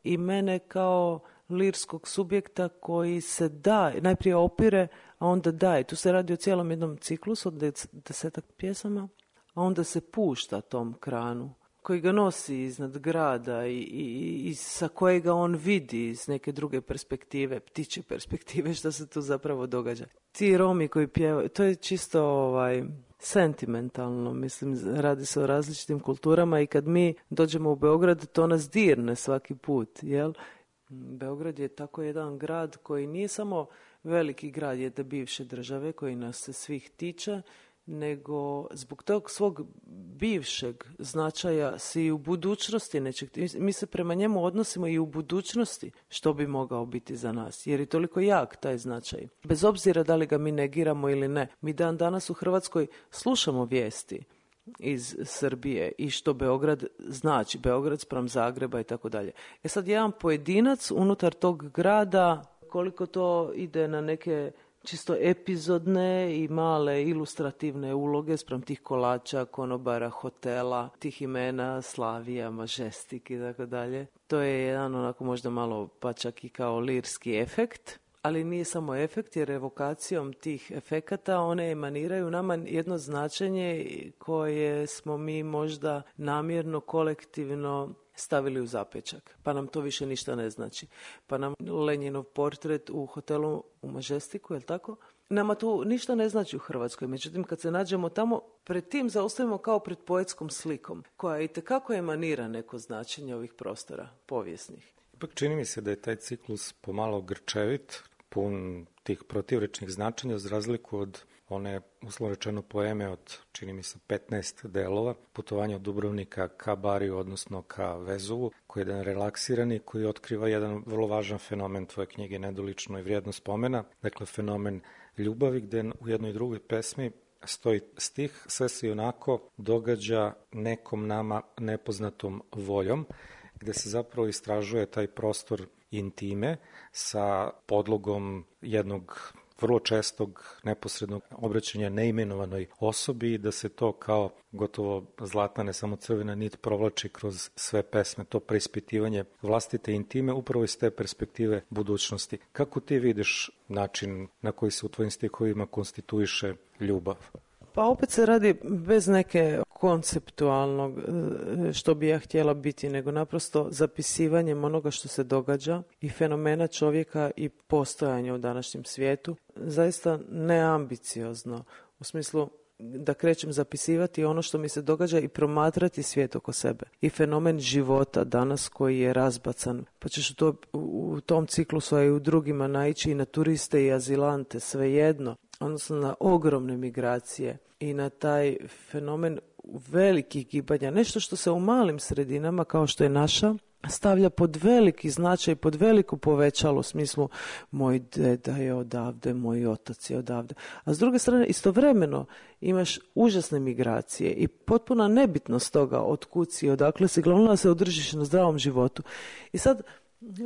i mene kao lirskog subjekta koji se da, najprije opire, a onda daje. Tu se radi o cijelom jednom ciklusu od desetak pjesama, a onda se pušta tom kranu koji ga nosi iznad grada i, i, i sa kojega on vidi iz neke druge perspektive, ptiče perspektive, što se tu zapravo događa. Ti Romi koji pjevaju, to je čisto ovaj, sentimentalno, mislim, radi se o različitim kulturama i kad mi dođemo u Beograd, to nas dirne svaki put, jel? Beograd je tako jedan grad koji nije samo veliki grad jedne bivše države koji nas se svih tiče, nego zbog tog svog bivšeg značaja se i u budućnosti nečeg, mi se prema njemu odnosimo i u budućnosti što bi mogao biti za nas, jer je toliko jak taj značaj. Bez obzira da li ga mi negiramo ili ne, mi dan danas u Hrvatskoj slušamo vijesti iz Srbije i što Beograd znači, Beograd spram Zagreba i tako dalje. E sad jedan pojedinac unutar tog grada, koliko to ide na neke čisto epizodne i male ilustrativne uloge spram tih kolača, konobara, hotela, tih imena, Slavija, Majestic i tako dalje. To je jedan onako možda malo pa čak i kao lirski efekt, ali nije samo efekt, jer evokacijom tih efekata one emaniraju nama jedno značenje koje smo mi možda namjerno, kolektivno stavili u zapečak, pa nam to više ništa ne znači. Pa nam Lenjinov portret u hotelu u Majesticu, je li tako? Nama to ništa ne znači u Hrvatskoj, međutim kad se nađemo tamo, pred tim zaustavimo kao pred poetskom slikom, koja itekako emanira neko značenje ovih prostora povijesnih. Ipak čini mi se da je taj ciklus pomalo grčevit, pun tih protivrečnih značenja, za razliku od one, uslovno rečeno, poeme od, čini mi se, petnaest delova, putovanje od Dubrovnika ka Bariju, odnosno ka Vezuvu, koji je jedan relaksirani, koji otkriva jedan vrlo važan fenomen tvoje knjige Nedolično i vrijedno spomena, dakle fenomen ljubavi, gde u jednoj drugoj pesmi stoji stih: sve se onako događa nekom nama nepoznatom voljom, gde se zapravo istražuje taj prostor intime sa podlogom jednog vrlo čestog neposrednog obraćanja neimenovanoj osobi i da se to kao gotovo zlatna, ne samo crvena nit, provlači kroz sve pesme, to preispitivanje vlastite intime upravo iz te perspektive budućnosti. Kako ti vidiš način na koji se u tvojim stihovima konstituiše ljubav? Pa opet se radi bez neke konceptualnog što bi ja htjela biti, nego naprosto zapisivanjem onoga što se događa i fenomena čovjeka i postojanja u današnjem svijetu, zaista neambiciozno, u smislu da krećem zapisivati ono što mi se događa i promatrati svijet oko sebe. I fenomen života danas koji je razbacan, pa ćeš u, to, u tom ciklusu, a i u drugima naići i na turiste i azilante, svejedno, odnosno na ogromne migracije i na taj fenomen velikih gibanja, nešto što se u malim sredinama kao što je naša stavlja pod veliki značaj, pod veliko povećalo, u smislu moj deda je odavde, moj otac je odavde. A s druge strane, istovremeno imaš užasne migracije i potpuna nebitnost toga od kud si, odakle si, glavno da se održiš na zdravom životu. I sad,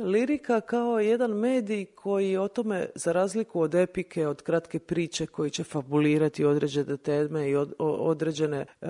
lirika kao jedan medij koji o tome, za razliku od epike, od kratke priče koji će fabulirati određene teme i od, o, određene e,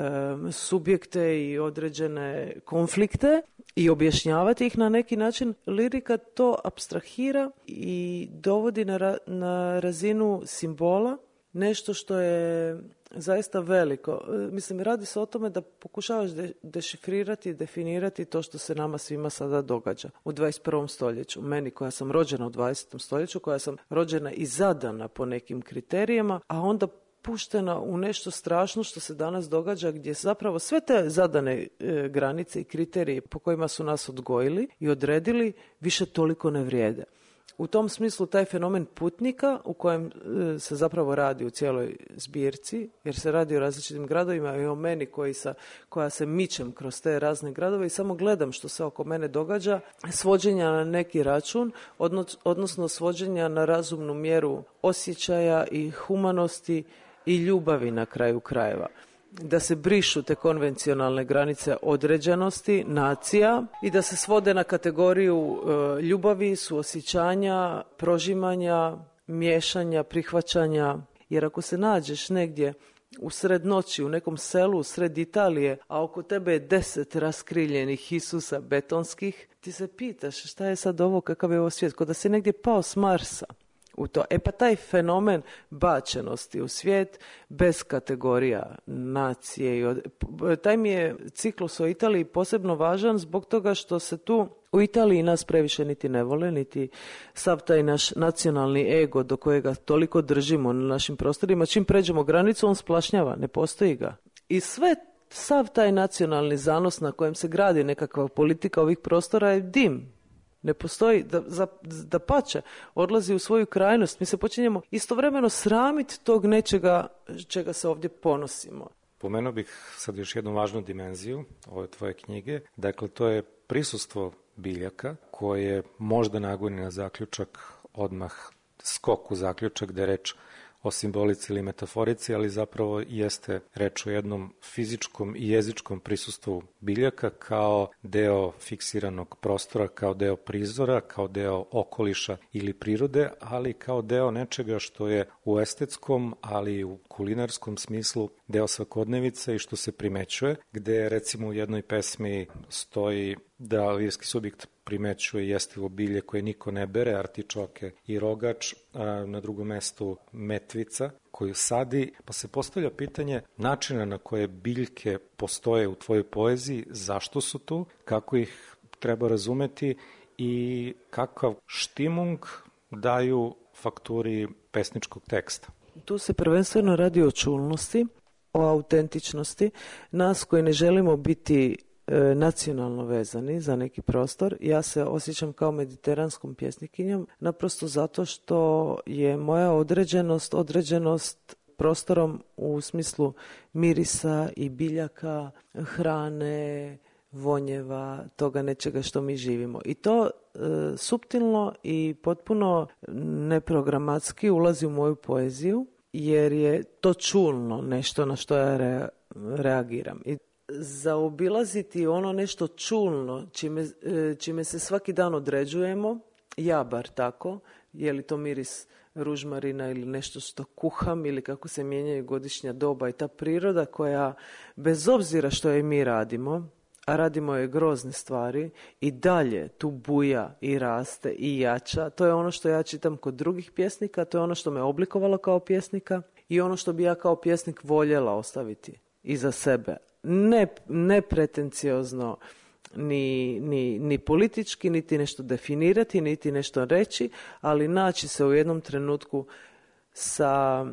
subjekte i određene konflikte i objašnjavati ih na neki način, lirika to apstrahira i dovodi na, ra, na razinu simbola, nešto što je zaista veliko. Mislim, radi se o tome da pokušavaš de, dešifrirati i definirati to što se nama svima sada događa u dvadeset prvom stoljeću. Meni koja sam rođena u dvadesetom stoljeću, koja sam rođena i zadana po nekim kriterijama, a onda puštena u nešto strašno što se danas događa, gdje zapravo sve te zadane e, granice i kriterije po kojima su nas odgojili i odredili više toliko ne vrijede. U tom smislu taj fenomen putnika u kojem e, se zapravo radi u cijeloj zbirci, jer se radi o različitim gradovima i o meni koji sa, koja se mičem kroz te razne gradove i samo gledam što se oko mene događa, svođenja na neki račun, odnos, odnosno svođenja na razumnu mjeru osjećaja i humanosti i ljubavi na kraju krajeva. Da se brišu te konvencionalne granice određenosti, nacija i da se svode na kategoriju e, ljubavi, suosjećanja, prožimanja, miješanja, prihvaćanja. Jer ako se nađeš negdje u sred noći, u nekom selu, u sred Italije, a oko tebe je deset raskriljenih Isusa betonskih, ti se pitaš šta je sad ovo, kakav je ovo svijet, kao da si negdje pao s Marsa. U to. E pa taj fenomen bačenosti u svijet bez kategorija nacije i od... taj mi je ciklus o Italiji posebno važan zbog toga što se tu u Italiji nas previše niti ne vole, niti sav taj naš nacionalni ego do kojega toliko držimo na našim prostorima, čim pređemo granicu on splašnjava, ne postoji ga. I sve sav taj nacionalni zanos na kojem se gradi nekakva politika ovih prostora je dim. Ne postoji, da, za, da pače, odlazi u svoju krajnost. Mi se počinjemo istovremeno sramiti tog nečega čega se ovdje ponosimo. Pomenuo bih sad još jednu važnu dimenziju ove tvoje knjige. Dakle, to je prisustvo biljaka koje možda nagoni na zaključak odmah skok u zaključak da je reč o simbolici ili metaforici, ali zapravo jeste reč o jednom fizičkom i jezičkom prisustvu biljaka kao deo fiksiranog prostora, kao deo prizora, kao deo okoliša ili prirode, ali kao deo nečega što je u estetskom, ali i u kulinarskom smislu deo svakodnevice i što se primećuje, gde recimo u jednoj pesmi stoji da lirski subjekt primećuje jestivo bilje koje niko ne bere, artičoke i rogač, a na drugom mestu metvica koju sadi, pa se postavlja pitanje načina na koje biljke postoje u tvojoj poeziji, zašto su tu, kako ih treba razumeti i kakav štimung daju fakturi pesničkog teksta. Tu se prvenstveno radi o čulnosti, o autentičnosti, nas koji ne želimo biti e, nacionalno vezani za neki prostor. Ja se osjećam kao mediteranskom pjesnikinjom, naprosto zato što je moja određenost, određenost prostorom u smislu mirisa i biljaka, hrane, vonjeva, toga nečega što mi živimo. I to e, suptilno i potpuno neprogramatski ulazi u moju poeziju, jer je to čulno nešto na što ja re, reagiram. I zaobilaziti ono nešto čulno, čime, čime se svaki dan određujemo, ja bar tako, je li to miris ružmarina ili nešto što kuham ili kako se mijenjaju godišnja doba i ta priroda koja, bez obzira što je mi radimo, a radimo je grozne stvari, i dalje tu buja i raste i jača. To je ono što ja čitam kod drugih pjesnika, to je ono što me oblikovalo kao pjesnika i ono što bi ja kao pjesnik voljela ostaviti iza sebe. Ne, ne pretenciozno, ni, ni, ni politički, niti nešto definirati, niti nešto reći, ali naći se u jednom trenutku sa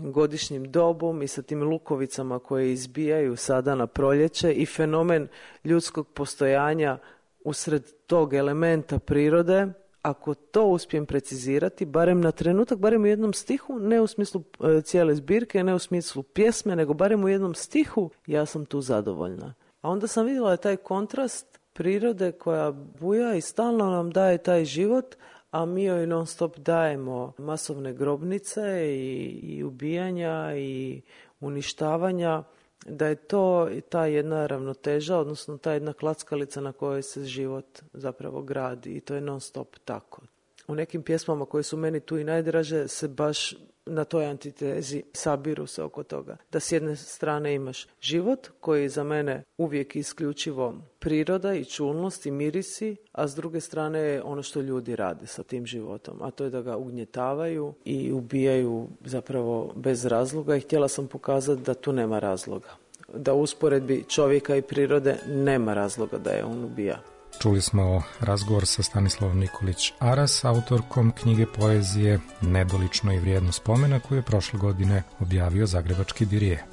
godišnjim dobom i sa tim lukovicama koje izbijaju sada na proljeće i fenomen ljudskog postojanja usred tog elementa prirode. Ako to uspijem precizirati, barem na trenutak, barem u jednom stihu, ne u smislu e, cijele zbirke, ne u smislu pjesme, nego barem u jednom stihu, ja sam tu zadovoljna. A onda sam vidjela taj kontrast prirode koja buja i stalno nam daje taj život, a mi joj non stop dajemo masovne grobnice i, i ubijanja i uništavanja, da je to ta jedna ravnoteža, odnosno ta jedna klackalica na kojoj se život zapravo gradi i to je non stop tako. U nekim pjesmama koje su meni tu i najdraže se baš na toj antitezi sabiru se oko toga. Da s jedne strane imaš život koji je za mene uvijek isključivo priroda i čulnost i mirisi, a s druge strane je ono što ljudi rade sa tim životom, a to je da ga ugnjetavaju i ubijaju zapravo bez razloga i htjela sam pokazati da tu nema razloga. Da u usporedbi čovjeka i prirode nema razloga da je on ubija. Čuli smo razgovor sa Stanislavom Nikolić Aras, autorkom knjige poezije Nedolično i vrijedno spomena, koju je prošle godine objavio zagrebački Dirije.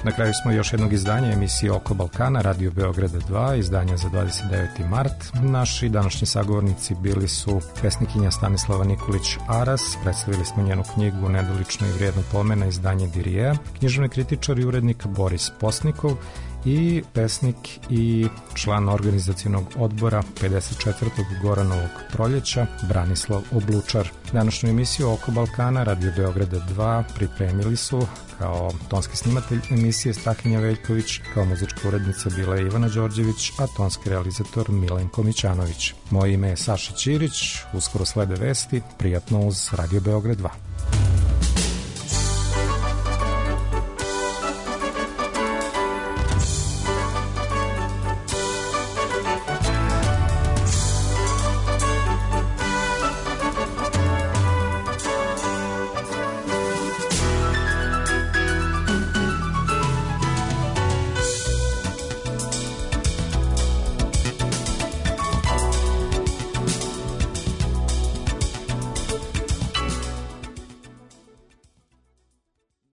Na kraju smo još jednog izdanja emisije Oko Balkana, Radio Beograda dva, izdanja za dvadeset deveti mart. Naši današnji sagovornici bili su pesnikinja Stanislava Nikolić Aras, predstavili smo njenu knjigu Nedolično i vrijedno pomena, izdanje Dirijeja, književni kritičar i urednik Boris Posnikov i pesnik i član organizacionog odbora pedeset četvrtog Goranovog proljeća Branislav Oblučar. Današnju emisiju Oko Balkana Radio Beograda dva pripremili su kao tonski snimatelj emisije Stahinja Veljković, kao muzička urednica bila je Ivana Đorđević, a tonski realizator Milenko Mićanović. Moje ime je Saša Ćirić, uskoro slede vesti, prijatno uz Radio Beograd dva.